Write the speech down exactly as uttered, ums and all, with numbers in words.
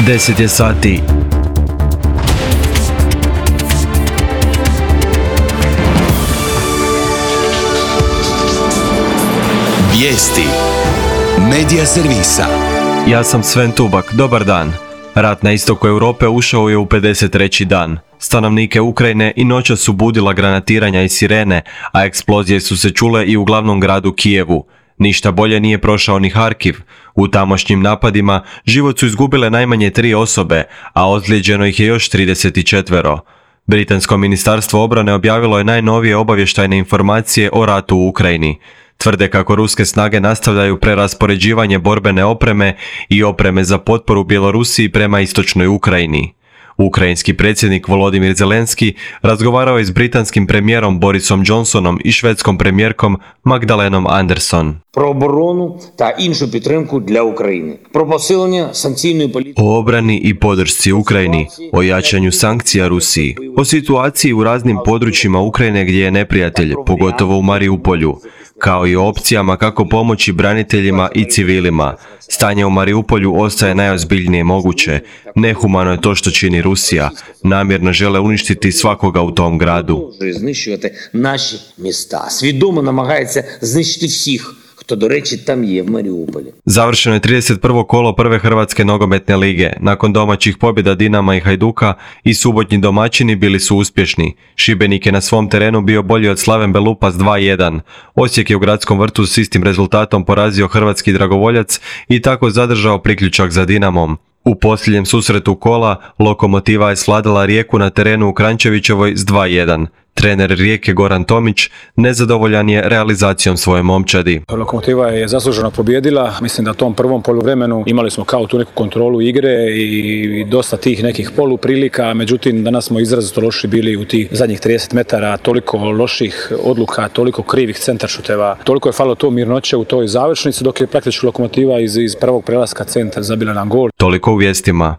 deset je sati. Vijesti Medija servisa. Ja sam Sven Tubak, dobar dan. Rat na istoku Europe ušao je u pedeset treći dan. Stanovnike Ukrajine i noćas su budila granatiranja i sirene, a eksplozije su se čule i u glavnom gradu Kijevu. Ništa bolje nije prošao ni Harkiv. U tamošnjim napadima život su izgubile najmanje tri osobe, a ozlijeđeno ih je još trideset četiri. Britansko ministarstvo obrane objavilo je najnovije obavještajne informacije o ratu u Ukrajini. Tvrde kako ruske snage nastavljaju preraspoređivanje borbene opreme i opreme za potporu Bjelorusiji prema istočnoj Ukrajini. Ukrajinski predsjednik Volodymyr Zelensky razgovarao je s britanskim premijerom Borisom Johnsonom i švedskom premijerkom Magdalenom Andersson. Про оборону та іншу підтримку для України. Про посилення санкційної політики. O obrani i podršci Ukrajini, o jačanju sankcija Rusiji, o situaciji u raznim područjima Ukrajine gdje je neprijatelj, pogotovo u Mariupolju, kao i o opcijama kako pomoći braniteljima i civilima. Stanje u Mariupolju ostaje najozbiljnije moguće. Nehumano je to što čini Rusija. Namjerno žele uništiti svakoga u tom gradu. Знищувати наші міста. Свідомо намагається знищити всіх, хто, до речі, там є в Маріуполі. Završeno je trideset prvo kolo prve Hrvatske nogometne lige. Nakon domaćih pobjeda Dinama i Hajduka i subotnji domaćini bili su uspješni. Šibenik je na svom terenu bio bolji od Slaven Belupa s dva jedan. Osijek je u gradskom vrtu s istim rezultatom porazio hrvatski Dragovoljac i tako zadržao priključak za Dinamom. U posljednjem susretu kola Lokomotiva je svladala Rijeku na terenu u Kranjčevićevoj s dva jedan. Trener Rijeke Goran Tomić nezadovoljan je realizacijom svoje momčadi. Lokomotiva je zasluženo pobijedila. Mislim da u tom prvom poluvremenu imali smo kao tu neku kontrolu igre i dosta tih nekih poluprilika, međutim danas smo izrazito loši bili u tih zadnjih trideset metara, toliko loših odluka, toliko krivih centaršuteva, toliko je falilo to mirnoće u toj završnici, dok je praktički Lokomotiva iz, iz prvog prelaska centar zabila nam gol. Toliko u vijestima.